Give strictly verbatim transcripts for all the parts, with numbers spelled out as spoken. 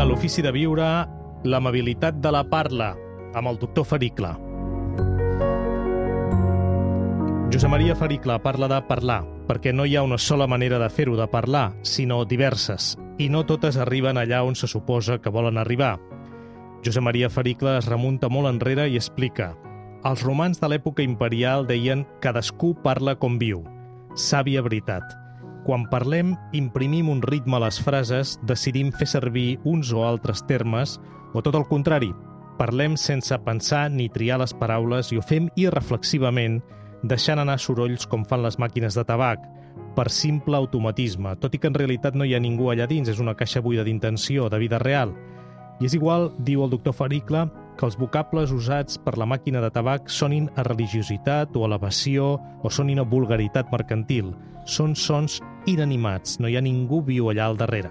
a l'Ofici de Viure, l'amabilitat de la parla, amb el doctor Faricle. Josep Maria Faricle parla de parlar, perquè no hi ha una sola manera de fer-ho, de parlar, sinó diverses, i no totes arriben allà on se suposa que volen arribar. Josep Maria Faricle es remunta molt enrere i explica: els romans de l'època imperial deien «cadascú parla com viu». Sàvia veritat. Quan parlem, imprimim un ritme a les frases, decidim fer servir uns o altres termes, o tot el contrari, parlem sense pensar ni triar les paraules i ho fem irreflexivament, deixant anar sorolls com fan les màquines de tabac, per simple automatisme, tot i que en realitat no hi ha ningú allà dins, és una caixa buida d'intenció, de vida real. I és igual, diu el doctor Faricle, que els vocables usats per la màquina de tabac sonin a religiositat o elevació o sonin a vulgaritat mercantil. Són sons inanimats, no hi ha ningú viu allà al darrere.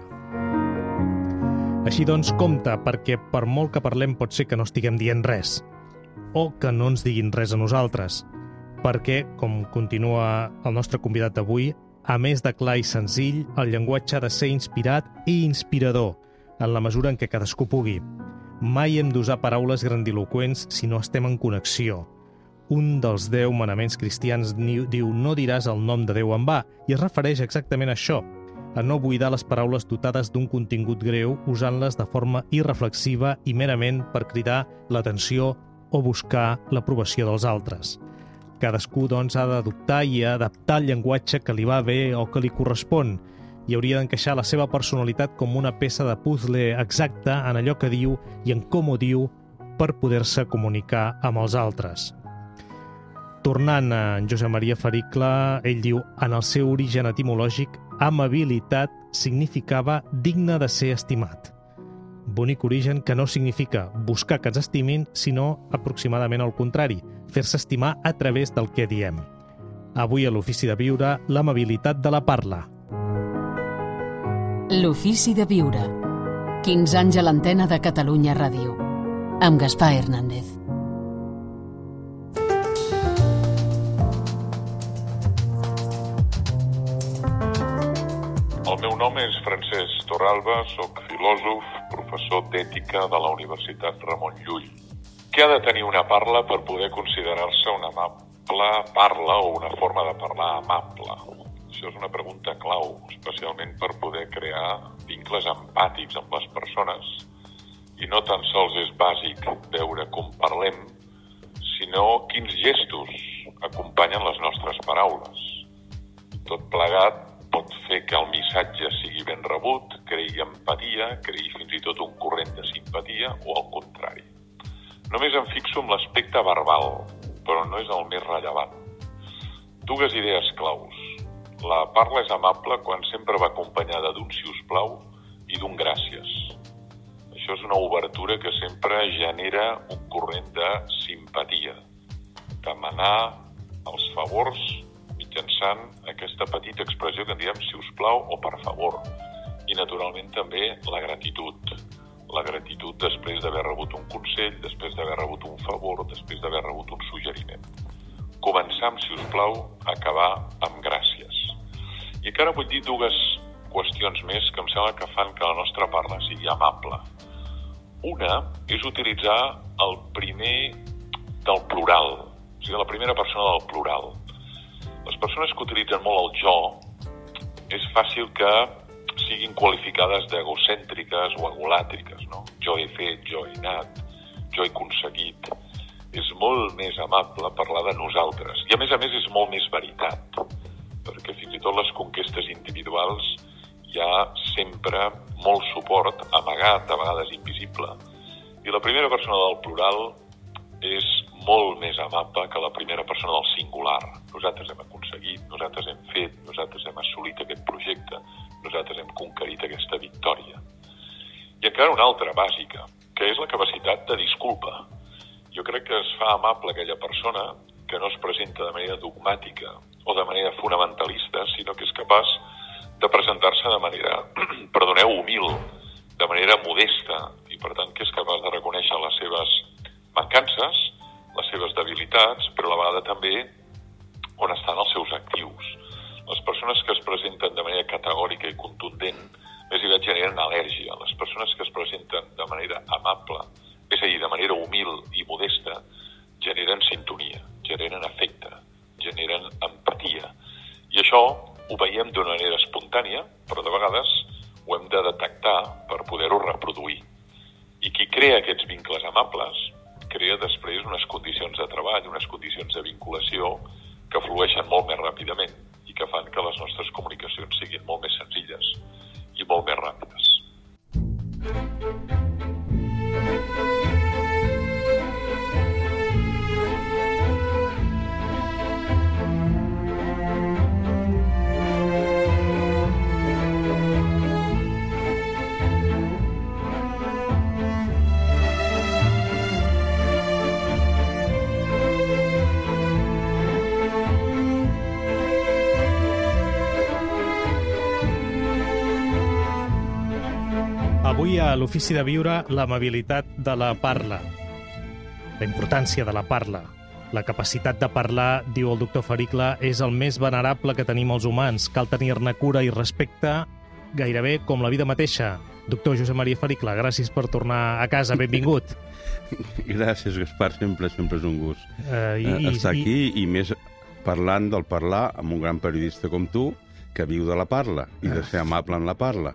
Així doncs, compte, perquè per molt que parlem pot ser que no estiguem dient res, o que no ens diguin res a nosaltres, perquè, com continua el nostre convidat d'avui, a més de clar i senzill, el llenguatge ha de ser inspirat i inspirador, en la mesura en què cadascú pugui. Mai hem d'usar paraules grandiloqüents si no estem en connexió. Un dels deu manaments cristians diu «no diràs el nom de Déu en va», i es refereix exactament a això, a no buidar les paraules dotades d'un contingut greu usant-les de forma irreflexiva i merament per cridar l'atenció o buscar l'aprovació dels altres. Cadascú, doncs, ha d'adoptar i adaptar el llenguatge que li va bé o que li correspon, i hauria d'encaixar la seva personalitat com una peça de puzzle exacta en allò que diu i en com ho diu per poder-se comunicar amb els altres. Tornant a en Josep Maria Faricle, ell diu, en el seu origen etimològic, amabilitat significava digne de ser estimat. Bonic origen que no significa buscar que ens estimin, sinó aproximadament al contrari, fer-se estimar a través del que diem. Avui a l'Ofici de Viure, l'amabilitat de la parla. L'Ofici de Viure. quinze anys a l'antena de Catalunya Ràdio. Amb Gaspar Hernández. El meu nom és Francesc Torralba, soc filòsof, professor d'ètica de la Universitat Ramon Llull. Què ha de tenir una parla per poder considerar-se una amable parla o una forma de parlar amable? Això és una pregunta clau, especialment per poder crear vincles empàtics amb les persones. I no tan sols és bàsic veure com parlem, sinó quins gestos acompanyen les nostres paraules. Tot plegat pot fer que el missatge sigui ben rebut, creï empatia, creï fins i tot un corrent de simpatia o al contrari. Només em fixo en l'aspecte verbal, però no és el més rellevant. Dues idees claus. La parla és amable quan sempre va acompanyada d'un siusplau i d'un gràcies. Això és una obertura que sempre genera un corrent de simpatia. Demanar els favors mitjançant aquesta petita expressió que en diem siusplau o per favor. I naturalment també la gratitud. La gratitud després d'haver rebut un consell, després d'haver rebut un favor, després d'haver rebut un suggeriment. Començar amb siusplau, acabar amb gràcies. I encara vull dir dues qüestions més que em sembla que fan que la nostra parla sigui amable. Una és utilitzar el primer del plural, o sigui, la primera persona del plural. Les persones que utilitzen molt el jo és fàcil que siguin qualificades d'egocèntriques o egolàtriques, no? Jo he fet, jo he anat, jo he aconseguit. És molt més amable parlar de nosaltres. I a més a més és molt més veritat, perquè fins i tot les conquestes individuals hi ha sempre molt suport, amagat, a vegades invisible. I la primera persona del plural és molt més amable que la primera persona del singular. Nosaltres hem aconseguit, nosaltres hem fet, nosaltres hem assolit aquest projecte, nosaltres hem conquerit aquesta victòria. I encara una altra bàsica, que és la capacitat de disculpa. Jo crec que es fa amable aquella persona que no es presenta de manera dogmàtica o de manera fonamentalista, sinó que és capaç de presentar-se de manera, perdoneu, humil, de manera modesta, i per tant que és capaç de reconèixer les seves mancances, les seves debilitats, però a la vegada també on estan els seus actius. Les persones que es presenten de manera categòrica i contundent més aviat generen al·lèrgia. Les persones que es presenten amable, és a dir, de manera humil i modesta, generen sintonia, generen afecte, generen empatia. I això ho veiem d'una manera espontània, però de vegades ho hem de detectar per poder-ho reproduir. I qui crea aquests vincles amables crea després unes condicions de treball, unes condicions de vinculació que flueixen molt més ràpidament i que fan que les nostres comunicacions siguin molt més senzilles i molt més ràpides. Avui a l'Ofici de Viure, l'amabilitat de la parla, la importància de la parla. La capacitat de parlar, diu el doctor Faricle, és el més venerable que tenim els humans. Cal tenir-ne cura i respecte gairebé com la vida mateixa. Doctor Josep Maria Faricle, gràcies per tornar a casa. Benvingut. Gràcies, Gaspar. Sempre, sempre és un gust uh, i, estar i, aquí i més parlant del parlar amb un gran periodista com tu que viu de la parla i de ser amable en la parla.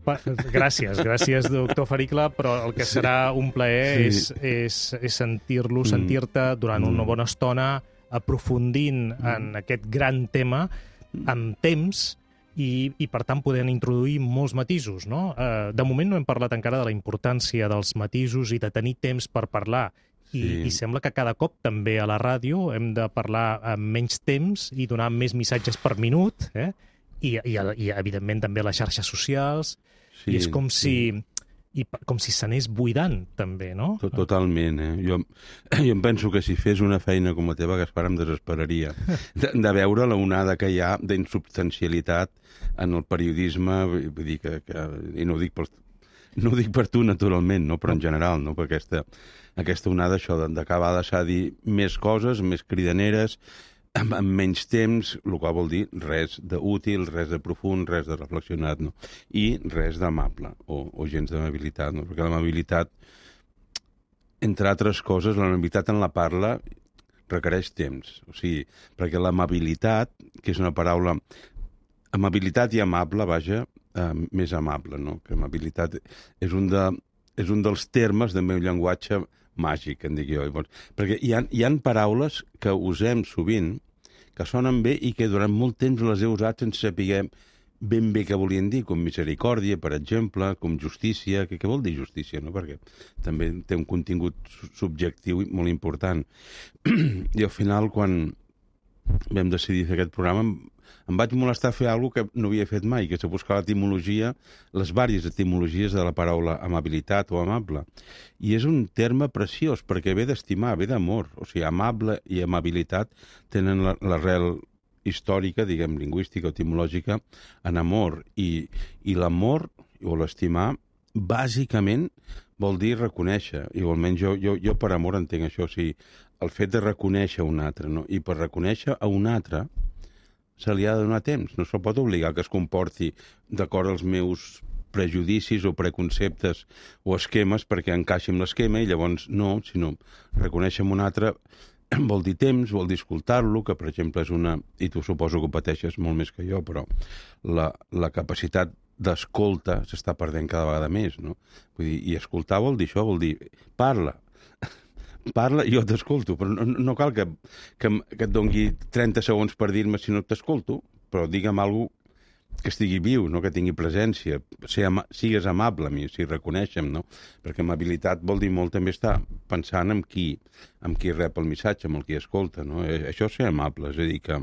Gràcies, gràcies, doctor Faricle, però el que serà un plaer és, és, és sentir-lo, sentir-te durant una bona estona aprofundint en aquest gran tema amb temps i, i per tant, podent introduir molts matisos, no? De moment no hem parlat encara de la importància dels matisos i de tenir temps per parlar. I, sí. I sembla que cada cop també a la ràdio hem de parlar amb menys temps i donar més missatges per minut, eh? I, i, i evidentment també les xarxes socials, sí, i és com si sí. i com si s'anés buidant també, no? Totalment, eh? Jo, jo em penso que si fes una feina com la teva, Gaspar, em desesperaria de, de veure la onada que hi ha d'insubstancialitat en el periodisme, vull dir que, que i no ho dic per, no ho dic per tu naturalment, no? Però en general, no? Per aquesta, aquesta onada, això d'acabar de deixar dir més coses, més cridaneres, amb, amb menys temps, el qual vol dir res d'útil, res de profund, res de reflexionat, no? I res d'amable, o, o gens d'amabilitat, no? Perquè l'amabilitat, entre altres coses, l'amabilitat en la parla requereix temps. O sigui, perquè l'amabilitat, que és una paraula... Amabilitat i amable, vaja, eh, més amable, no? Que amabilitat és un, de, és un dels termes del meu llenguatge màgic, en dic jo. Perquè hi ha, hi ha paraules que usem sovint, que sonen bé i que durant molt temps les he usat sense saber ben bé què volien dir, com misericòrdia, per exemple, com justícia. Què, què vol dir justícia, no? Perquè també té un contingut subjectiu molt important. I al final, quan vam decidir fer aquest programa, em vaig molestar a fer alguna cosa que no havia fet mai, que és buscar l'etimologia, les vàries etimologies de la paraula amabilitat o amable. I és un terme preciós, perquè ve d'estimar, ve d'amor. O sigui, amable i amabilitat tenen l'arrel històrica, diguem, lingüística o etimològica, en amor. I, i l'amor, o l'estimar, bàsicament vol dir reconèixer. Igualment, jo, jo, jo per amor entenc això, o sigui, el fet de reconèixer un altre, no? I per reconèixer a un altre se li ha de donar temps. No se'l pot obligar que es comporti d'acord als meus prejudicis o preconceptes o esquemes perquè encaixi amb l'esquema i llavors no, sinó reconèixer un altre vol dir temps, vol dir escoltar-lo, que per exemple és una... I tu suposo que ho pateixes molt més que jo, però la, la capacitat d'escolta s'està perdent cada vegada més, no? Vull dir, i escoltar vol dir això, vol dir parla, parla i jo t'escolto, però no, no cal que, que, que et dongui trenta segons per dir-me si no t'escolto, però digue'm alguna que estigui viu, no? Que tingui presència, ser ama, sigues amable a mi, si reconeixem, no? Perquè amabilitat vol dir molt també estar pensant en qui, en qui rep el missatge, en el qui escolta, no? Això és ser amable, és a dir que,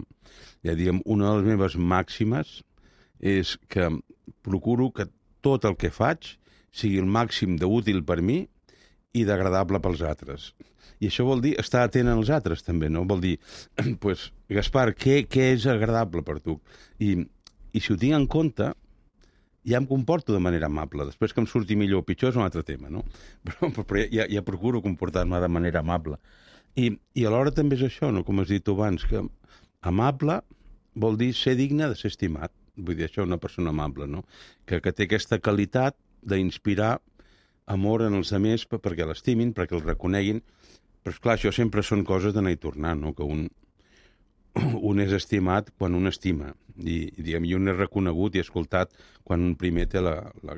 ja diguem, una de les meves màximes és que procuro que tot el que faig sigui el màxim d'útil per mi i d'agradable pels altres. I això vol dir estar atent als altres, també, no? Vol dir, pues, Gaspar, què, què és agradable per tu? I, i si ho tinc en compte, ja em comporto de manera amable. Després que em surti millor o pitjor és un altre tema, no? Però, però ja, ja procuro comportar-me de manera amable. I, i alhora també és això, no? Com has dit tu abans, que amable vol dir ser digne de ser estimat. Vull dir, això és una persona amable, no? Que, que té aquesta qualitat d'inspirar amor en els altres perquè l'estimin, perquè el reconeguin. Però, esclar, això sempre són coses d'anar i tornar, no? Que un, un és estimat quan un estima. I, i, diguem, i un és reconegut i escoltat quan un primer té la, la,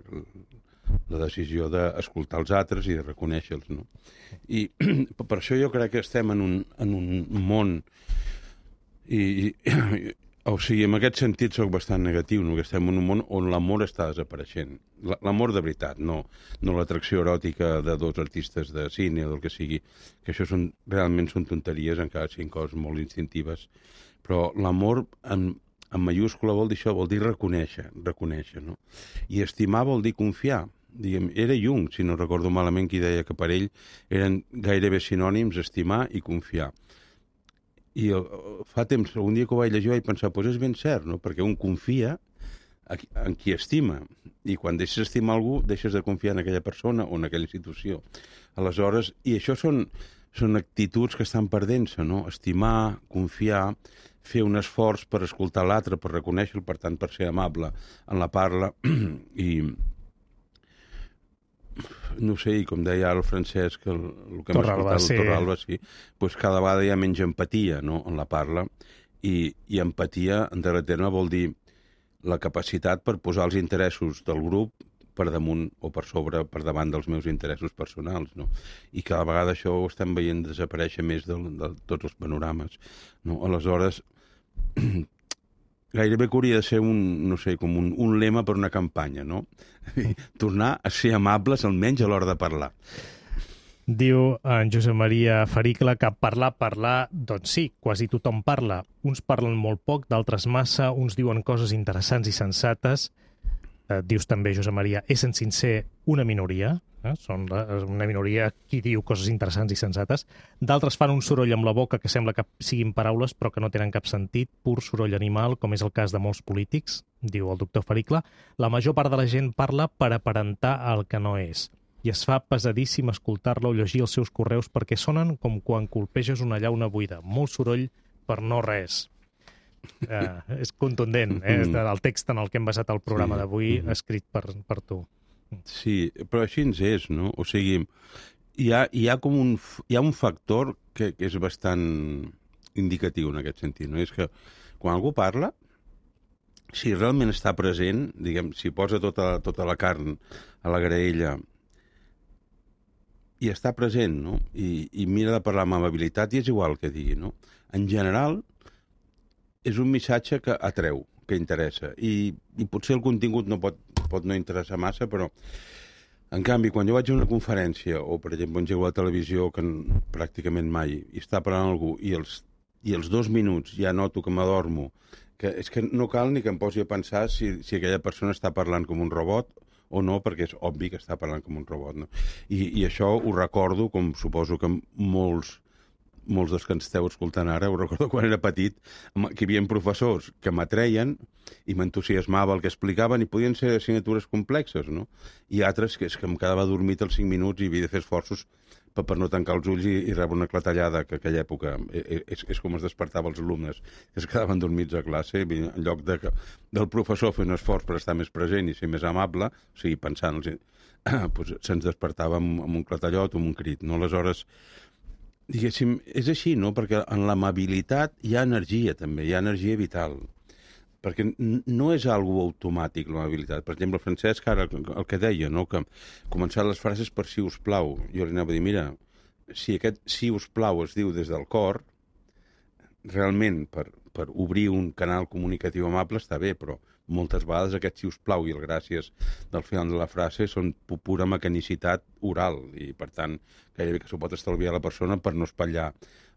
la decisió d'escoltar els altres i de reconèixer-los, no? I per això jo crec que estem en un, en un món i, i o sigui, en aquest sentit soc bastant negatiu, no? Que estem en un món on l'amor està desapareixent. L'amor de veritat, no, no l'atracció eròtica de dos artistes de cine o del que sigui, que això són, realment són tonteries, encara siguin coses molt instintives, però l'amor en, en mayúscula vol dir això, vol dir reconèixer, reconèixer, no? I estimar vol dir confiar. Diguem, era Jung, si no recordo malament, qui deia que per ell eren gairebé sinònims estimar i confiar. I fa temps, un dia que ho vaig llegir, vaig pensar, doncs és ben cert, no? Perquè un confia en qui estima. I quan deixes estimar algú, deixes de confiar en aquella persona o en aquella institució. Aleshores, i això són, són actituds que estan perdent-se, no? Estimar, confiar, fer un esforç per escoltar l'altre, per reconèixer-lo, per tant, per ser amable en la parla. I no sé, i com deia el Francesc, el, el que hem Torralba, escoltat, sí. el Torralba, sí, doncs cada vegada hi ha menys empatia, no?, en la parla, i, i empatia, en darrer terme, vol dir la capacitat per posar els interessos del grup per damunt o per sobre, per davant dels meus interessos personals, no? I cada vegada això ho estem veient desaparèixer més de, de tots els panorames, no? Aleshores, gairebé que hauria de ser un, no sé, com un, un lema per una campanya, no? Tornar a ser amables, almenys a l'hora de parlar. Diu en Josep Maria Fericla que parlar, parlar, doncs sí, quasi tothom parla. Uns parlen molt poc, d'altres massa, uns diuen coses interessants i sensates. Eh, dius també, Josep Maria, és en sincer una minoria, eh? Són la, una minoria qui diu coses interessants i sensates. D'altres fan un soroll amb la boca que sembla que siguin paraules però que no tenen cap sentit, pur soroll animal, com és el cas de molts polítics, diu el doctor Fericla. La major part de la gent parla per aparentar el que no és. I es fa pesadíssim escoltar-la o llegir els seus correus perquè sonen com quan colpeges una llauna buida. Molt soroll per no res. Eh, és contundent, eh? És del text en el que hem basat el programa sí. d'avui, escrit per, per tu. Sí, però així ens és, no? O sigui, hi ha, hi ha com un, hi ha un factor que, que és bastant indicatiu en aquest sentit, no? És que quan algú parla, si realment està present, diguem, si posa tota, tota la carn a la graella i està present, no? I, i mira de parlar amb amabilitat, i és igual que digui, no? En general, és un missatge que atreu, que interessa. I, i potser el contingut no pot, pot no interessar massa, però en canvi, quan jo vaig a una conferència, o per exemple engego a la televisió, que pràcticament mai, i està parlant algú, i els, i els dos minuts ja noto que m'adormo, que és que no cal ni que em posi a pensar si, si aquella persona està parlant com un robot o no, perquè és obvi que està parlant com un robot, no? I, i això ho recordo, com suposo que molts, molts dels que ens esteu escoltant ara, ho recordo quan era petit, que hi havia professors que m'atreien i m'entusiasmava el que explicaven i podien ser assignatures complexes, no? I altres que, és que em quedava adormit als cinc minuts i havia de fer esforços per, per no tancar els ulls i, i rebre una clatellada, que aquella època és, és com es despertava els alumnes, que es quedaven dormits a classe, en lloc de, del professor fer un esforç per estar més present i ser més amable, o sigui, pensant, doncs, se'ns despertava amb, amb un clatellot o amb un crit, no? Aleshores, diguéssim, és així, no? Perquè en l'amabilitat hi ha energia, també, hi ha energia vital. Perquè no és algo automàtic, l'amabilitat. Per exemple, Francesc, ara, el que deia, no? Que començar les frases per si us plau. Jo li anava a dir, mira, si aquest si us plau es diu des del cor, realment, per, per obrir un canal comunicatiu amable està bé, però moltes vegades aquest si us plau i el gràcies del final de la frase són pura mecanicitat oral i, per tant, gairebé que s'ho pot estalviar la persona per no espatllar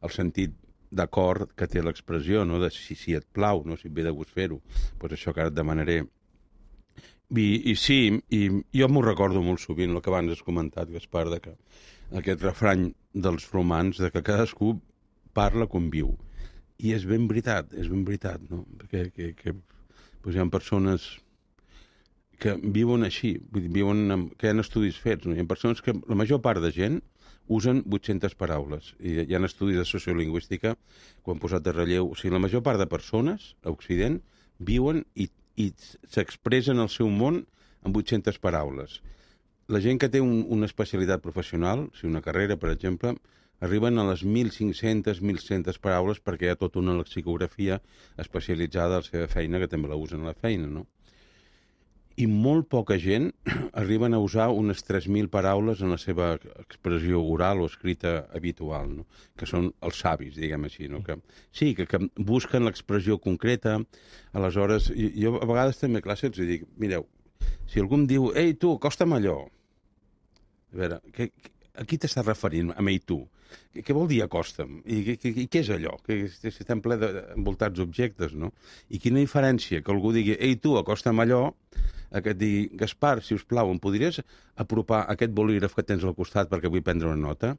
el sentit d'acord que té l'expressió, no? De si, si et plau, no? Si et ve de gust fer-ho. Pues això que ara et demanaré. I, i sí, i jo m'ho recordo molt sovint, el que abans has comentat, Gaspar, de que aquest refrany dels romans, de que cadascú parla com viu. I és ben veritat, és ben veritat, no? Perquè que, que, pues hi ha persones que viuen així, vull dir, viuen amb, que hi ha estudis fets, no? Hi ha persones que la major part de gent usen vuit-centes paraules. I hi ha estudis de sociolingüística que han posat de relleu. O sigui, la major part de persones a Occident viuen i, i s'expressen el seu món amb vuit-centes paraules. la gent que té un, una especialitat professional, si una carrera, per exemple, arriben a les mil cinc-centes, mil cent paraules perquè hi ha tota una lexicografia especialitzada a la seva feina, que també la usen a la feina, no? I molt poca gent arriben a usar unes tres mil paraules en la seva expressió oral o escrita habitual, no? Que són els savis, diguem així, no? Que, sí, que, que busquen l'expressió concreta. Aleshores, jo a vegades també a classe els dic, mireu, si algú em diu, ei, tu, acosta'm allò. A veure, que, a qui t'estàs referint, amb ell, tu? Què, què vol dir acosta'm? I, i, i què és allò? Que estem ple d'envoltats d'objectes, no? I quina diferència que algú digui, ei, tu, acosta'm allò, a que et digui, Gaspar, si us plau, em podries apropar aquest bolígraf que tens al costat perquè vull prendre una nota?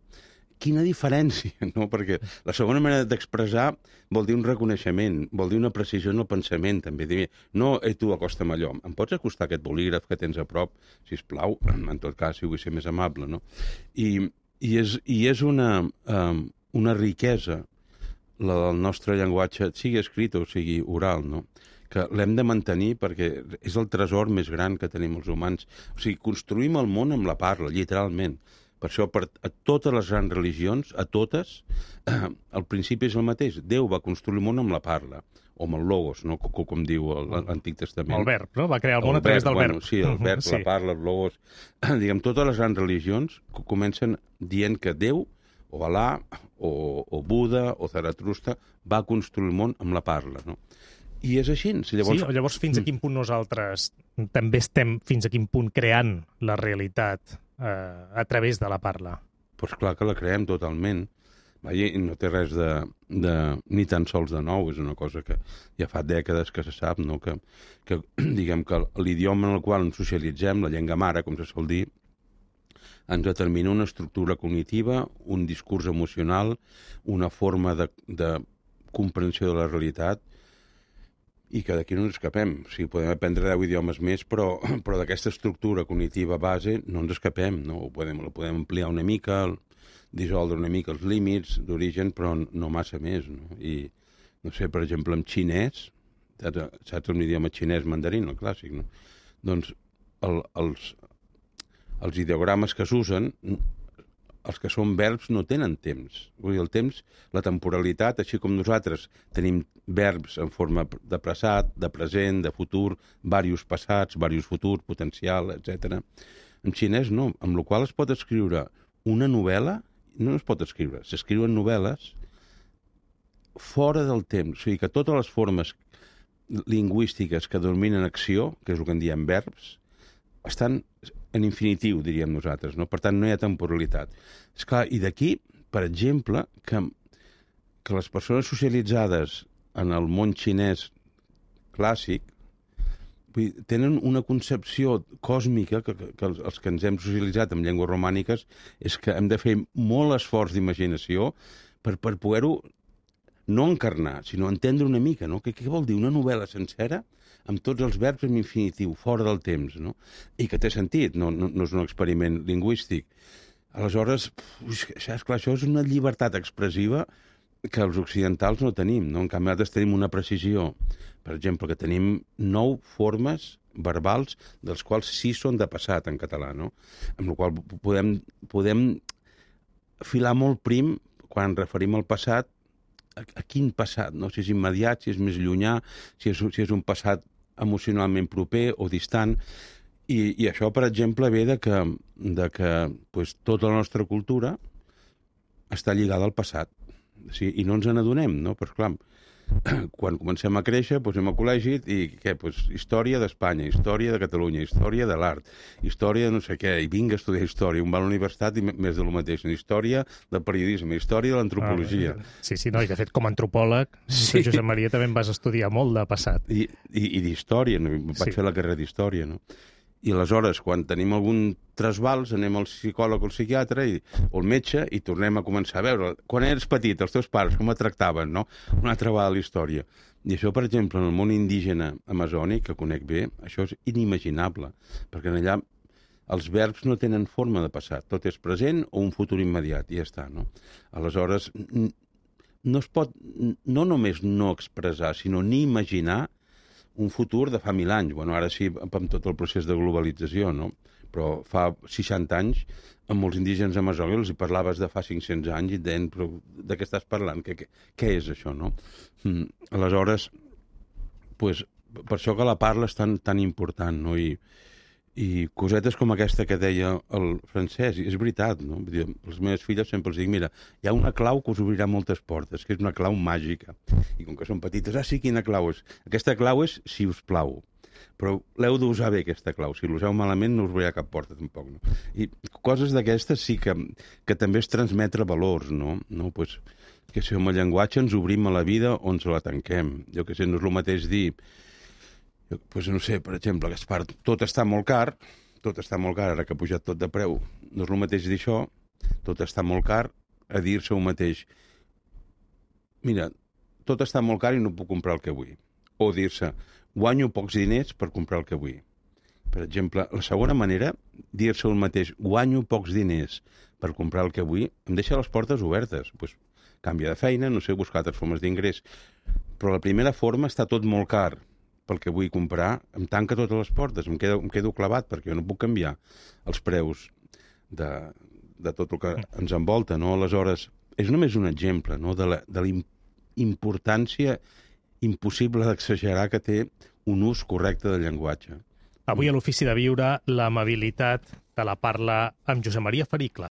Quina diferència, no? Perquè la segona manera d'expressar vol dir un reconeixement, vol dir una precisió en el pensament, també. Dir, no, ei, tu, acosta'm allò. Em pots acostar aquest bolígraf que tens a prop, si us plau? En tot cas, si vull ser més amable, no? I, i, és, i és una, um, una riquesa la del nostre llenguatge, sigui escrit o sigui oral, no? Que l'hem de mantenir perquè és el tresor més gran que tenim els humans. O sigui, construïm el món amb la parla, literalment. Per això, per a totes les grans religions, a totes, eh, el principi és el mateix. Déu va construir el món amb la parla, o amb el logos, no? com, com diu l'Antic Testament. El verb, no? Va crear el món el a través del bueno, verb. Sí, el verb, sí. La parla, el logos... Diguem, totes les grans religions comencen dient que Déu, o Alà, o, o Buda, o Zaratrusta, va construir el món amb la parla, no? I és així. Llavors... Sí, llavors fins a quin punt nosaltres també estem fins a quin punt creant la realitat eh, a través de la parla? Doncs pues clar que la creem totalment. I no té res de, de, ni tan sols de nou, és una cosa que ja fa dècades que se sap, no? que, que diguem que l'idioma en el qual ens socialitzem, la llengua mare, com se sol dir, ens determina una estructura cognitiva, un discurs emocional, una forma de, de comprensió de la realitat, i que d'aquí no ens escapem. O sigui, podem aprendre deu idiomes més, però, però d'aquesta estructura cognitiva base no ens escapem, no? Ho podem, ho podem ampliar una mica, dissoldre una mica els límits d'origen, però no massa més, no? I, no sé, per exemple, en xinès, saps un idioma xinès mandarín, el clàssic, no? Doncs el, els, els ideogrames que s'usen, els que són verbs no tenen temps. Vull dir, el temps, la temporalitat, així com nosaltres tenim verbs en forma de passat, de present, de futur, diversos passats, diversos futurs, potencial, etcètera. En xinès no, amb la qual es pot escriure una novel·la, no es pot escriure, s'escriuen novel·les fora del temps. O sigui que totes les formes lingüístiques que dominen acció, que és el que en diem verbs, estan en infinitiu, diríem nosaltres, no? Per tant, no hi ha temporalitat. Esclar, i d'aquí, per exemple, que, que les persones socialitzades en el món xinès clàssic vull dir, tenen una concepció còsmica que, que, que els, els que ens hem socialitzat amb llengües romàniques és que hem de fer molt esforç d'imaginació per, per poder-ho no encarnar, sinó entendre una mica, no? Què, què vol dir una novel·la sencera amb tots els verbs en infinitiu, fora del temps, no? I que té sentit, no, no, no és un experiment lingüístic. Aleshores, uf, esclar, això és una llibertat expressiva que els occidentals no tenim, no? En canvi, nosaltres tenim una precisió, per exemple, que tenim nou formes verbals, dels quals sis són de passat en català, no? Amb la qual podem, podem filar molt prim quan referim al passat, a, a quin passat, no? Si és immediat, si és més llunyà, si és, si és un passat emocionalment proper o distant. I, i això, per exemple, ve de que, de que pues, tota la nostra cultura està lligada al passat. O sigui, i no ens n'adonem, no? Però, clar, quan comencem a créixer, doncs anem a col·legi i què? Pues, història d'Espanya, història de Catalunya, història de l'art, història de no sé què, i vinga a estudiar història, un va a la universitat i més de lo mateix, història del periodisme, història de l'antropologia. Ah, sí, sí, no, i de fet, com a antropòleg, sí. Josep Maria també em vas estudiar molt de passat. I, i, i d'història, no? Vaig sí. fer la carrera d'història, no? I aleshores, quan tenim algun trasbals, anem al psicòleg o al psiquiatre i, o al metge i tornem a començar a veure. Quan eres petit, els teus pares, com et tractaven, no? Una altra vegada la història. I això, per exemple, en el món indígena amazònic, que conec bé, això és inimaginable, perquè allà els verbs no tenen forma de passat. Tot és present o un futur immediat, i ja està, no? Aleshores, no es pot no només no expressar, sinó ni imaginar un futur de fa mil anys. Bueno, ara sí, amb tot el procés de globalització, no? però fa seixanta anys, amb molts indígens amazonis els hi parlaves de fa cinc-cents anys i et deien, però de què estàs parlant? Què, què, què és això, no? Mm. Aleshores, pues, per això que la parla és tan, tan important, no? I, i cosetes com aquesta que deia el Francesc, és veritat, no? Vull dir, les meves filles sempre els dic, mira, hi ha una clau que us obrirà moltes portes, que és una clau màgica. I com que són petites, ah, sí, quina clau és? Aquesta clau és si us plau. Però l'heu d'usar bé, aquesta clau. Si l'useu malament no us obrirà cap porta, tampoc. No? I coses d'aquestes sí que, que també és transmetre valors, no? No? Pues, que si amb el llenguatge ens obrim a la vida o ens la tanquem. Jo que sé, no és el mateix dir... Pues no sé, per exemple, Gaspar, tot està molt car, tot està molt car, ara que ha pujat tot de preu. No és el mateix dir això, tot està molt car, a dir-se un mateix. Mira, tot està molt car i no puc comprar el que vull. O dir-se, guanyo pocs diners per comprar el que vull. Per exemple, la segona manera, dir-se un mateix, guanyo pocs diners per comprar el que vull, em deixa les portes obertes. Pues, canvia de feina, no sé, buscar altres formes d'ingrés. Però la primera forma està tot molt car pel que vull comprar, em tanca totes les portes, em quedo, em quedo clavat, perquè jo no puc canviar els preus de, de tot el que ens envolta, no? Aleshores, és només un exemple, no?, de la, de la importància impossible d'exagerar que té un ús correcte del llenguatge. Avui a l'Ofici de Viure, l'amabilitat de la parla amb Josep Maria Fericla.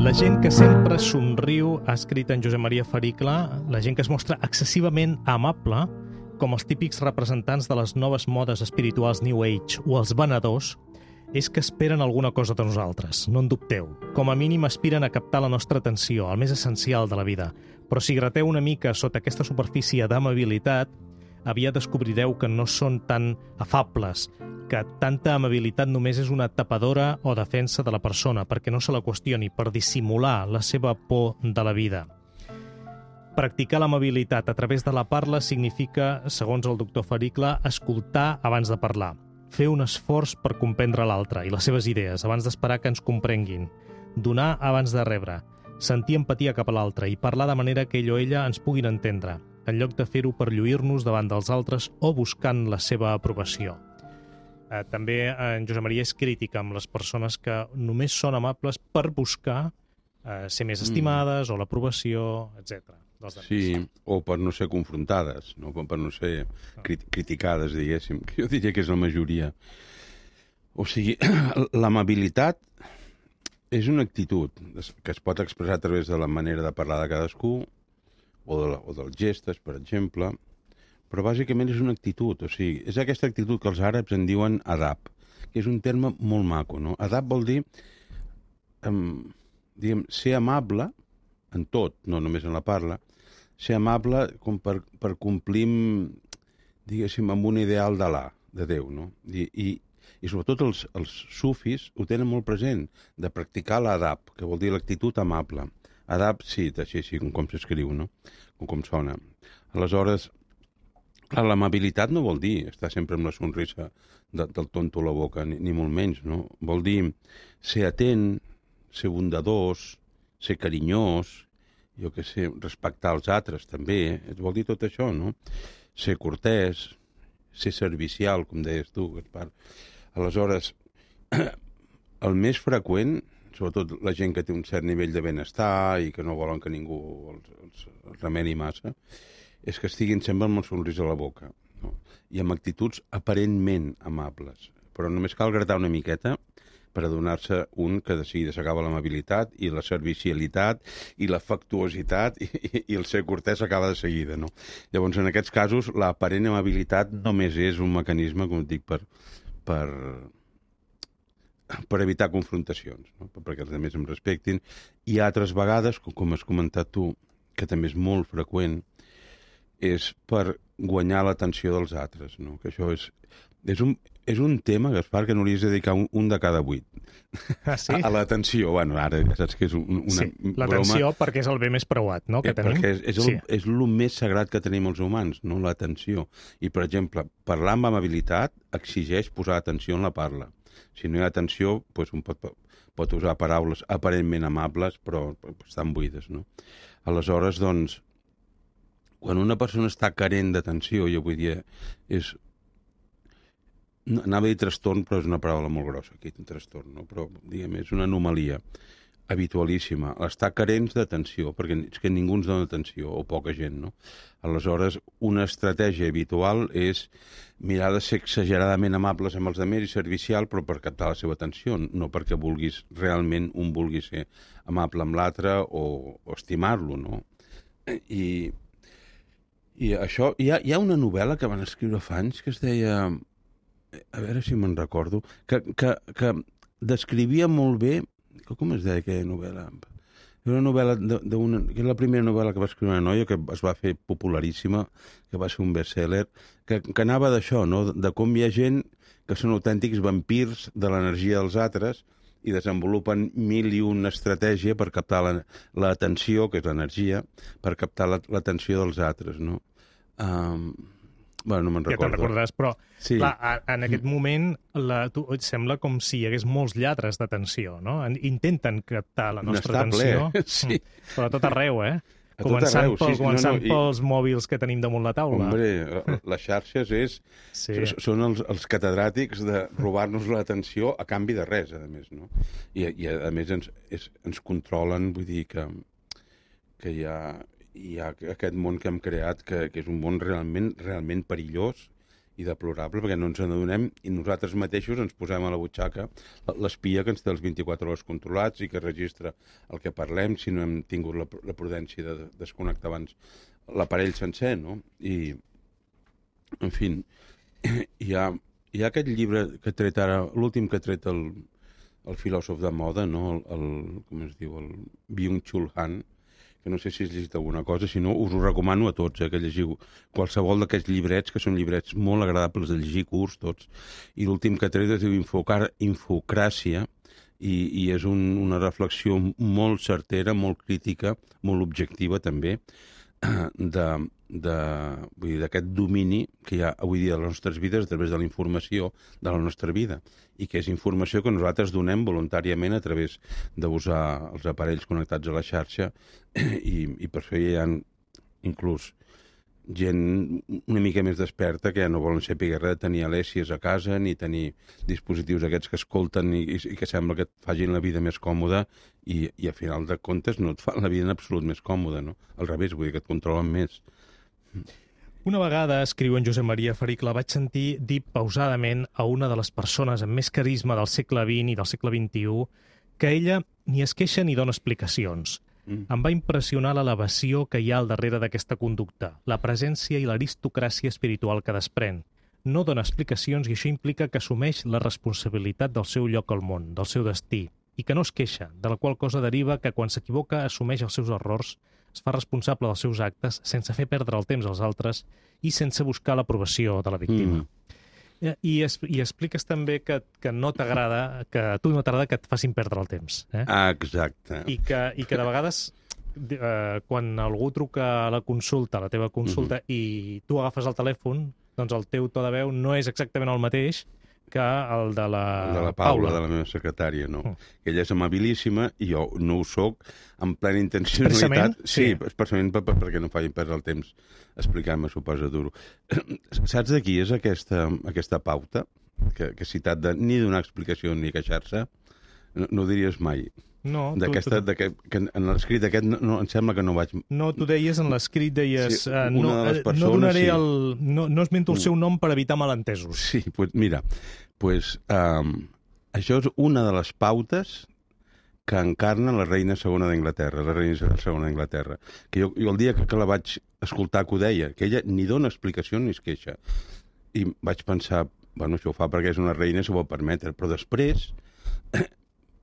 La gent que sempre somriu, ha escrit en Josep Maria Fericla, la gent que es mostra excessivament amable, com els típics representants de les noves modes espirituals New Age o els venedors, és que esperen alguna cosa de nosaltres, no en dubteu. Com a mínim aspiren a captar la nostra atenció, el més essencial de la vida. Però si grateu una mica sota aquesta superfície d'amabilitat, aviat descobrireu que no són tan afables, que tanta amabilitat només és una tapadora o defensa de la persona perquè no se la qüestioni, per dissimular la seva por de la vida. Practicar l'amabilitat a través de la parla significa, segons el doctor Fericla, escoltar abans de parlar, fer un esforç per comprendre l'altre i les seves idees abans d'esperar que ens comprenguin, donar abans de rebre, sentir empatia cap a l'altre i parlar de manera que ell o ella ens puguin entendre, en lloc de fer-ho per lluir-nos davant dels altres o buscant la seva aprovació. Eh, també en Josep Maria és crític amb les persones que només són amables per buscar eh, ser més estimades mm. o l'aprovació, etcètera. Sí, o per no ser confrontades, no? Per no ser crit criticades, diguéssim, que jo diria que és la majoria. O sigui, l'amabilitat és una actitud que es pot expressar a través de la manera de parlar de cadascú, o, de la, o dels gestos, per exemple, però bàsicament és una actitud, o sigui, és aquesta actitud que els àrabs en diuen adab, que és un terme molt maco, no? Adab vol dir, um, diguem, ser amable en tot, no només en la parla, ser amable com per, per complir, diguéssim, amb un ideal d'Alà, de Déu, no? I, i, i sobretot els, els sufis ho tenen molt present, de practicar l'adab, que vol dir l'actitud amable. Adab, sí, així, així com, com s'escriu, no? Com, com sona. Aleshores, l'amabilitat no vol dir estar sempre amb la sonrisa de, del tonto a la boca, ni, ni molt menys, no? Vol dir ser atent, ser bondadós, ser carinyós, jo què sé, respectar els altres també, eh? Vol dir tot això, no? Ser cortès, ser servicial, com deies tu, Gaspar. Aleshores, el més freqüent, sobretot la gent que té un cert nivell de benestar i que no volen que ningú els, els, els remeni massa, és que estiguin sempre amb el somrís a la boca, no? I amb actituds aparentment amables. Però només cal gratar una miqueta per adonar-se un que de seguida s'acaba l'amabilitat i la servicialitat i l'afectuositat i, i, i el ser cortès acaba de seguida, no? Llavors, en aquests casos, l'aparent amabilitat només és un mecanisme, com et dic, per, per, per evitar confrontacions, no? Perquè els altres em respectin. I altres vegades, com has comentat tu, que també és molt freqüent, és per guanyar l'atenció dels altres, no? Que això és, és, un, és un tema, Gaspar, que no li has de dedicar un, un de cada vuit. Ah, sí? A, a l'atenció, bueno, ara ja saps que és un, una sí, broma. l'atenció perquè és el bé més preuat, no?, que eh, tenim. Perquè és, és, el, sí. és el més sagrat que tenim els humans, no l'atenció. I, per exemple, parlar amb amabilitat exigeix posar atenció en la parla. Si no hi ha atenció, doncs un pot, pot usar paraules aparentment amables, però estan buides, no? Aleshores, doncs, quan una persona està carent d'atenció, jo vull dir, és... No, anava a dir trastorn, però és una paraula molt grossa, aquí, un trastorn, no? Però, diguem, és una anomalia habitualíssima. Estar carents d'atenció, perquè és que ningú ens dona atenció, o poca gent, no? Aleshores, una estratègia habitual és mirar de ser exageradament amables amb els altres i servicial, però per captar la seva atenció, no perquè vulguis, realment un vulgui ser amable amb l'altre o, o estimar-lo, no? I, i això... Hi ha, hi ha una novel·la que van escriure fa anys que es deia... A veure si me'n recordo, que, que, que descrivia molt bé... Com es deia aquella novel·la? Era una novel·la d'una... que és la primera novel·la que va escriure una noia, que es va fer popularíssima, que va ser un best-seller, que, que anava d'això, no? De com hi ha gent que són autèntics vampirs de l'energia dels altres i desenvolupen mil i una estratègia per captar l'atenció, que és l'energia, per captar l'atenció dels altres, no? Um, Bueno, no me'n recordo. Ja te'n recordaràs, però sí. clar, en aquest moment la, tu, et sembla com si hi hagués molts lladres d'atenció, no? Intenten captar la nostra atenció, ple. Sí. però a tot arreu, eh? A tot començant arreu, pel, sí, començant no, no, i... pels mòbils que tenim damunt la taula. Hombre, les xarxes és, sí. són els, els catedràtics de robar-nos l'atenció a canvi de res, a més, no? I, i a més ens, és, ens controlen, vull dir que, que hi ha... hi ha aquest món que hem creat, que, que és un món realment, realment perillós i deplorable, perquè no ens n'adonem i nosaltres mateixos ens posem a la butxaca l'espia que ens té els vint-i-quatre hores controlats i que registra el que parlem si no hem tingut la, la prudència de desconnectar abans l'aparell sencer, no? I, en fi, hi ha, hi ha aquest llibre que ha tret ara, l'últim que ha tret el, el filòsof de moda, no? El, el, com es diu, el Byung-Chul Han, que no sé si has llegit alguna cosa, si no us ho recomano a tots, eh, que llegiu qualsevol d'aquests llibrets, que són llibrets molt agradables de llegir, curts, tots, i l'últim que tret es diu Infocar, Infocràcia, i, i és un, una reflexió molt certera, molt crítica, molt objectiva també, de, de, vull dir, d'aquest domini que hi ha avui dia a les nostres vides a través de la informació de la nostra vida, i que és informació que nosaltres donem voluntàriament a través d'usar els aparells connectats a la xarxa, i, i per això hi ha inclús gent una mica més desperta que ja no volen saber res de tenir alèssies a casa ni tenir dispositius aquests que escolten i, i que sembla que et facin la vida més còmoda i, i a final de comptes no et fan la vida en absolut més còmoda, no? Al revés, vull dir que et controlen més. Una vegada, escriu en Josep Maria Faric, la vaig sentir dir pausadament a una de les persones amb més carisma del segle vint i del segle vint-i-u que ella ni es queixa ni dona explicacions. Mm. Em va impressionar l'elevació que hi ha al darrere d'aquesta conducta, la presència i l'aristocràcia espiritual que desprèn. No dona explicacions i això implica que assumeix la responsabilitat del seu lloc al món, del seu destí, i que no es queixa, de la qual cosa deriva que quan s'equivoca assumeix els seus errors, es fa responsable dels seus actes sense fer perdre el temps als altres i sense buscar l'aprovació de la víctima. Mm. I, es, I expliques també que, que no t'agrada, que a tu no t'agrada que et facin perdre el temps. Eh? Ah, exacte. I que, i que de vegades, eh, quan algú truca a la consulta, a la teva consulta, mm-hmm. i tu agafes el telèfon, doncs el teu to de veu no és exactament el mateix que el de la, el de la Paula, Paula, de la meva secretària, no. Mm. Ella és amabilíssima i jo no ho soc en plena intencionalitat. Sí, sí, expressament per, per, perquè no facin perdre el temps explicant-me, suposa duro. Saps de qui és aquesta, aquesta pauta que, que he citat de ni donar explicació ni queixar-se? No, no ho diries mai. No, d'aquesta, tu, tu... que en l'escrit aquest no, no, em sembla que no vaig... No, tu deies en l'escrit, deies... Sí, uh, no, de persones, no donaré sí. el... No, no esmento el seu nom per evitar malentesos. Sí, pues mira, pues, um, això és una de les pautes que encarna la reina segona d'Anglaterra, la reina segona d'Anglaterra. Que jo, jo el dia que, que la vaig escoltar que ho deia, que ella ni dona explicació ni es queixa. I vaig pensar, bueno, això ho fa perquè és una reina, s'ho pot permetre, però després...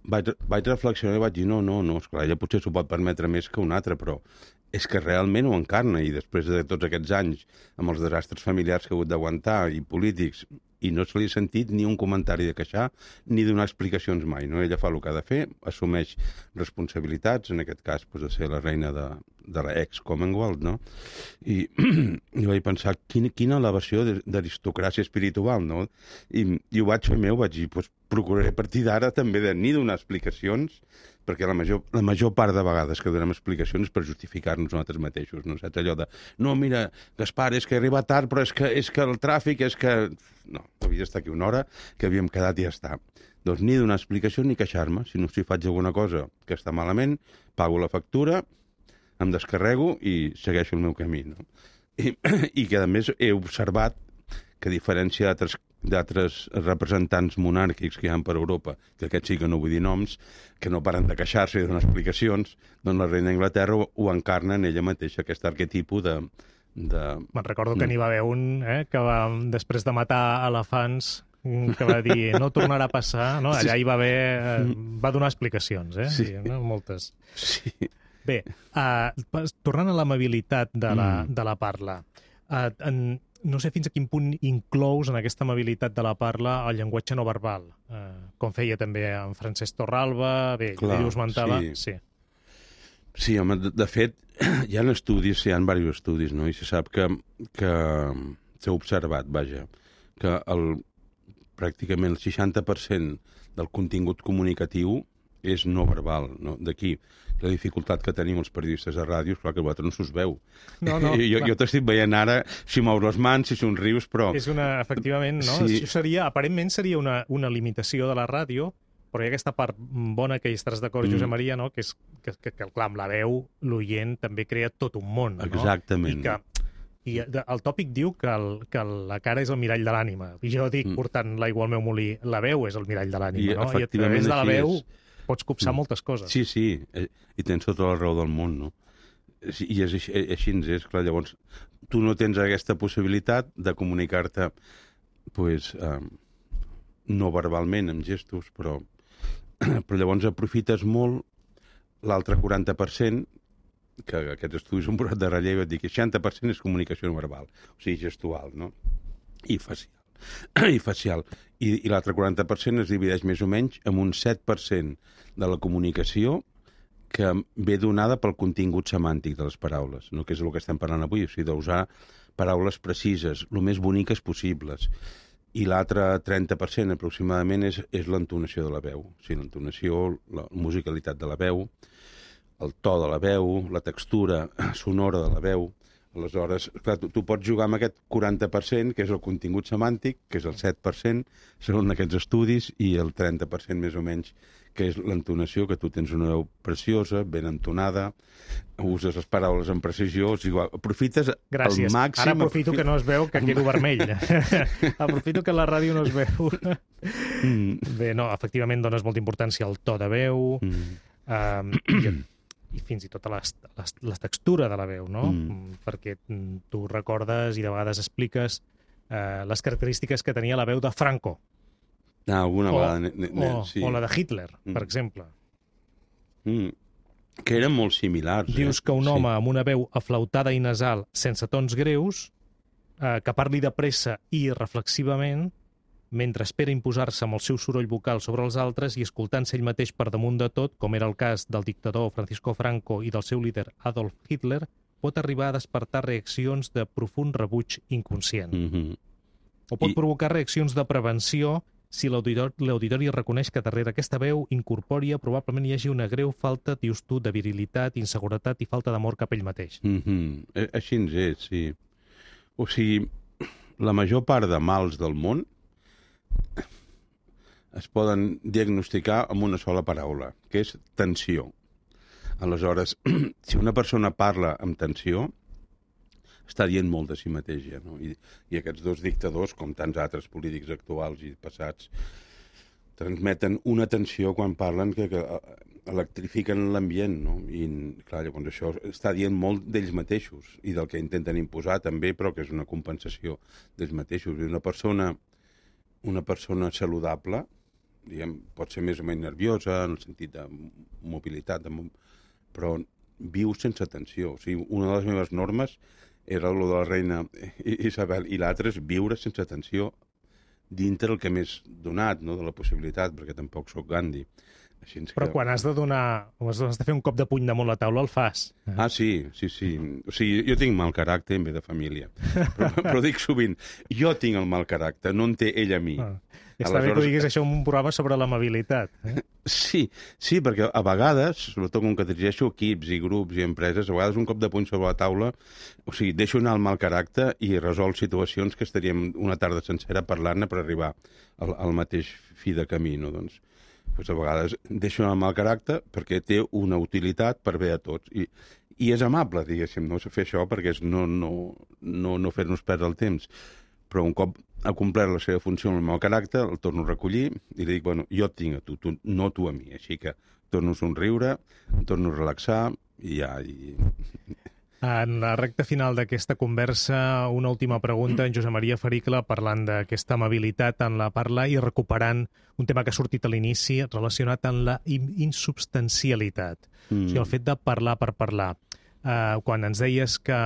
Vaig, vaig reflexionar i vaig dir, no, no, no, esclar, ella potser s'ho pot permetre més que un altre, però és que realment ho encarna, i després de tots aquests anys, amb els desastres familiars que ha hagut d'aguantar, i polítics, i no se li ha sentit ni un comentari de queixar ni donar explicacions mai, no? Ella fa el que ha de fer, assumeix responsabilitats, en aquest cas pues, de ser la reina de, de l'ex-Commonwealth, no? I, i vaig pensar, quina, quina elevació d'aristocràcia espiritual, no? I, i ho vaig fer meu, vaig dir, pues, procuraré a partir d'ara també de ni donar explicacions, perquè la major, la major part de vegades que donem explicacions per justificar-nos nosaltres mateixos, no? Saps allò de, no, mira, Gaspar, és que he arribat tard, però és que, és que el tràfic, és que... No, havia d'estar aquí una hora, que havíem quedat i ja està. Doncs ni donar explicació ni queixar-me. Si no, si faig alguna cosa que està malament, pago la factura, em descarrego i segueixo el meu camí, no? I, i que, a més, he observat que, a diferència d'altres d'altres representants monàrquics que hi ha per Europa, que aquests sí que no vull dir noms, que no paren de queixar-se i donar explicacions, doncs la reina d'Anglaterra ho, ho encarna en ella mateixa, aquest arquetipo de... de... Me'n recordo que n'hi va haver un eh, que va, després de matar elefants, que va dir no tornarà a passar, no? Allà hi va haver... Eh, va donar explicacions, eh? Sí. I, no? Moltes. Sí. Bé, uh, tornant a l'amabilitat de, la, Mm. de la parla, uh, en, no sé fins a quin punt inclous en aquesta amabilitat de la parla el llenguatge no verbal, uh, com feia també en Francesc Torralba, bé, Clar, ell ho esmentava, sí. sí. Sí, home, de, de fet, hi ha estudis, hi ha diversos estudis, no? I se sap que, que s'ha observat, vaja, que el, pràcticament el seixanta per cent del contingut comunicatiu és no verbal, no? D'aquí la dificultat que tenim els periodistes de ràdio, clar que a vosaltres no s'us veu. No, no, jo jo t'estic veient ara si mous les mans, si somrius, però... És una, efectivament, no? Sí. Això seria, aparentment seria una, una limitació de la ràdio, però hi ha aquesta part bona que hi estaràs d'acord, Mm. Josep Maria, no? que és que, que, que clar, amb la veu l'oient també crea tot un món. No? Exactament. I que i de- el tòpic diu que, el, que la cara és el mirall de l'ànima. I jo dic, Mm. portant l'aigua al meu molí, la veu és el mirall de l'ànima. I No? I a efectivament través de la així veu és. pots copsar Mm. moltes coses. Sí, sí, eh, i tens tota la raó del món, no? Sí, I és així, eh, així ens és, clar, llavors tu no tens aquesta possibilitat de comunicar-te pues, eh, no verbalment, amb gestos, però, però llavors aprofites molt l'altre quaranta per cent, que aquests estudis han posat de relleu, et dic que seixanta per cent és comunicació no verbal, o sigui, gestual, no? I facial. I facial. I, i l'altre quaranta per cent es divideix més o menys en un set per cent de la comunicació que ve donada pel contingut semàntic de les paraules, no? Que és el que estem parlant avui, o sigui, d'usar paraules precises, el més boniques possibles. I l'altre trenta per cent aproximadament és, és l'entonació de la veu, o sigui, l'entonació, la musicalitat de la veu, el to de la veu, la textura sonora de la veu. Aleshores, clar, tu, tu pots jugar amb aquest quaranta per cent, que és el contingut semàntic, que és el set per cent, segons aquests estudis, i el trenta per cent més o menys, que és l'entonació, que tu tens una veu preciosa, ben entonada, uses les paraules amb precisió, o sigui, aprofites Gràcies. al màxim... Ara aprofito que no es veu, que quedo vermell. Aprofito que la ràdio no es veu. Mm. Bé, no, efectivament dones molta importància al to de veu, Mm. um, i, i fins i tot a la, la, la textura de la veu, no? Mm. Perquè mm, tu recordes i de vegades expliques uh, les característiques que tenia la veu de Franco. Ah, alguna o, vegada... Ne, ne, ne, o, sí. o la de Hitler, Mm. per exemple. Mm. Que eren molt similars. Dius eh? que un Sí. home amb una veu aflautada i nasal, sense tons greus, eh, que parli de pressa i reflexivament, mentre espera imposar-se amb el seu soroll vocal sobre els altres i escoltant-se ell mateix per damunt de tot, com era el cas del dictador Francisco Franco i del seu líder Adolf Hitler, pot arribar a despertar reaccions de profund rebuig inconscient. Mm-hmm. O pot I- provocar reaccions de prevenció si l'auditor- l'auditori reconeix que darrere aquesta veu incorpòria probablement hi hagi una greu falta, dius tu, de virilitat, inseguretat i falta d'amor cap a ell mateix. Mm-hmm. Eh, Així ens és, sí. O sigui, la major part de mals del món es poden diagnosticar amb una sola paraula, que és tensió. Aleshores, si una persona parla amb tensió, està dient molt de si mateix, ja, no? I, I aquests dos dictadors, com tants altres polítics actuals i passats, transmeten una tensió quan parlen que, que electrifiquen l'ambient, no? I, clar, llavors això està dient molt d'ells mateixos i del que intenten imposar també, però que és una compensació d'ells mateixos. I una persona, una persona saludable, diguem, pot ser més o menys nerviosa, en el sentit de mobilitat, de, però viu sense tensió. O sigui, una de les meves normes era el de la reina Isabel, i l'altre és viure sense tensió dintre el que m'és donat, no?, de la possibilitat, perquè tampoc sóc Gandhi. Així que... Però quan has de donar, has de fer un cop de puny damunt la taula, el fas. Ah, sí, sí, sí. O sigui, jo tinc mal caràcter en ve de família. Però, però dic sovint, jo tinc el mal caràcter, no en té ell a mi. Ah. Està Aleshores... bé que ho diguis això en un programa sobre l'amabilitat. Eh? Sí, sí, perquè a vegades, sobretot com que dirigeixo equips i grups i empreses, a vegades un cop de puny sobre la taula, o sigui, deixo anar el mal caràcter i resol situacions que estaríem una tarda sencera parlant-ne per arribar al, al mateix fi de camí, no? Doncs, doncs a vegades deixo anar el mal caràcter perquè té una utilitat per bé a tots. I, i és amable, diguéssim, no fer això perquè és no, no, no, no fer-nos perdre el temps. Però un cop ha complert la seva funció amb el meu caràcter, el torno a recollir i li dic, bueno, jo et tinc a tu, tu no tu a mi. Així que torno a somriure, em torno a relaxar i ja... I... En la recta final d'aquesta conversa, una última pregunta, en Josep Maria Fericla, parlant d'aquesta amabilitat en la parla i recuperant un tema que ha sortit a l'inici relacionat amb la insubstancialitat. Mm. O sigui, el fet de parlar per parlar. Uh, quan ens deies que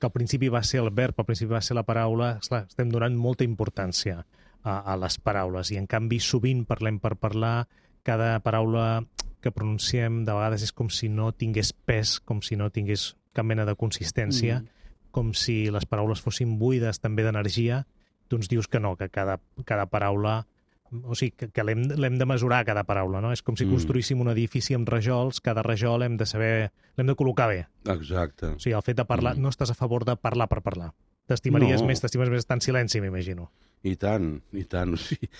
que al principi va ser el verb, al principi va ser la paraula, esclar, estem donant molta importància a, a les paraules i en canvi sovint parlem per parlar, cada paraula que pronunciem de vegades és com si no tingués pes, com si no tingués cap mena de consistència, mm. com si les paraules fossin buides també d'energia. Tu ens dius que no, que cada, cada paraula... O sigui, que, que l'hem, l'hem de mesurar, cada paraula, no? És com si construíssim un edifici amb rajols, cada rajol hem de saber... l'hem de col·locar bé. Exacte. O sigui, el fet de parlar... Mm. No estàs a favor de parlar per parlar. T'estimaries no. més, t'estimes més estar en silenci, m'imagino. I tant, i tant. O sigui,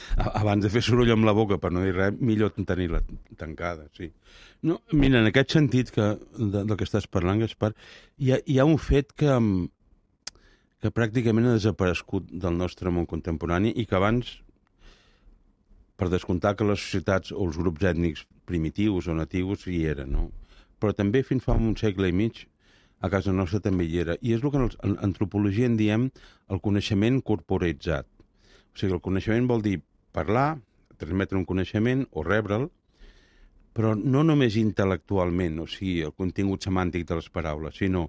abans de fer soroll amb la boca per no dir res, millor tenir-la tancada, sí. No, mira, en aquest sentit que, de, del que estàs parlant, Gaspar, hi ha, hi ha un fet que, que pràcticament ha desaparegut del nostre món contemporani i que abans... per descomptar que les societats o els grups ètnics primitius o natius hi eren, no? Però també fins fa un segle i mig a casa nostra també hi era. I és el que en antropologia en diem el coneixement corporitzat. O sigui, el coneixement vol dir parlar, transmetre un coneixement o rebre'l, però no només intel·lectualment, o sigui, el contingut semàntic de les paraules, sinó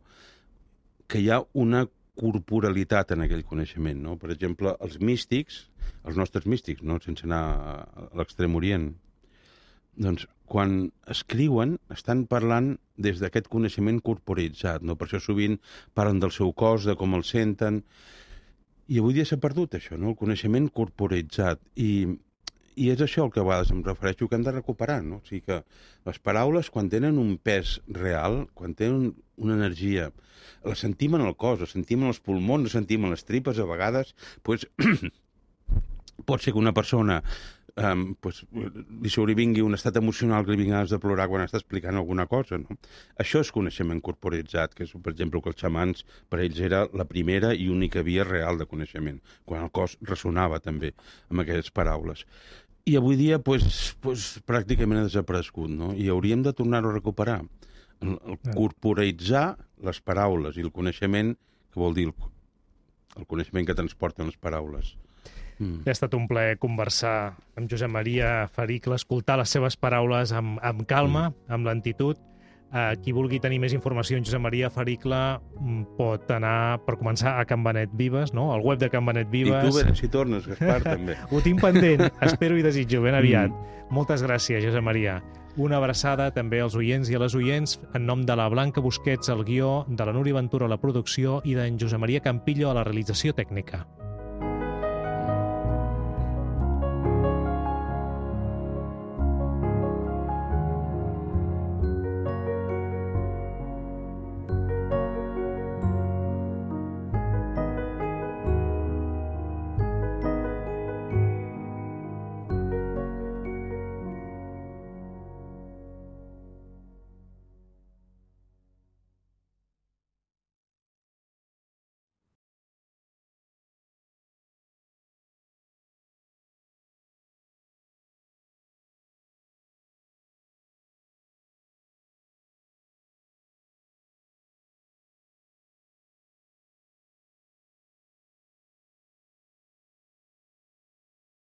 que hi ha una corporalitat en aquell coneixement, no? Per exemple, els místics, els nostres místics, no? Sense anar a l'extrem orient, doncs quan escriuen estan parlant des d'aquest coneixement corporitzat, no? Per això sovint parlen del seu cos, de com el senten, i avui dia s'ha perdut això, no? El coneixement corporitzat, i, i és això el que a vegades em refereixo que hem de recuperar, no? O sigui que les paraules, quan tenen un pes real, quan tenen una energia, la sentim en el cos, la sentim en els pulmons, la sentim en les tripes, a vegades, pues, pot ser que una persona um, pues, li sobrevingui un estat emocional que li vingui ganes de plorar quan està explicant alguna cosa, no? Això és coneixement corporitzat, que és, per exemple, que els xamans, per ells era la primera i única via real de coneixement, quan el cos ressonava també amb aquestes paraules. I avui dia, pues, pues, pràcticament ha desaparegut, no? I hauríem de tornar-ho a recuperar. El, el corporitzar les paraules i el coneixement, que vol dir el, el coneixement que transporten les paraules. Mm. Ha estat un plaer conversar amb Josep Maria Fericla, escoltar les seves paraules amb, amb calma, mm. amb lentitud. Uh, qui vulgui tenir més informació en Josep Maria Fericla pot anar, per començar, a Can Benet Vives, no? Al web de Can Benet Vives. I tu veràs si tornes, Gaspar, també. Ho tinc pendent, espero i desitjo ben aviat. Mm. Moltes gràcies, Josep Maria. Una abraçada també als oients i a les oients en nom de la Blanca Busquets al guió, de la Núria Ventura a la producció i d'en Josep Maria Campillo a la realització tècnica.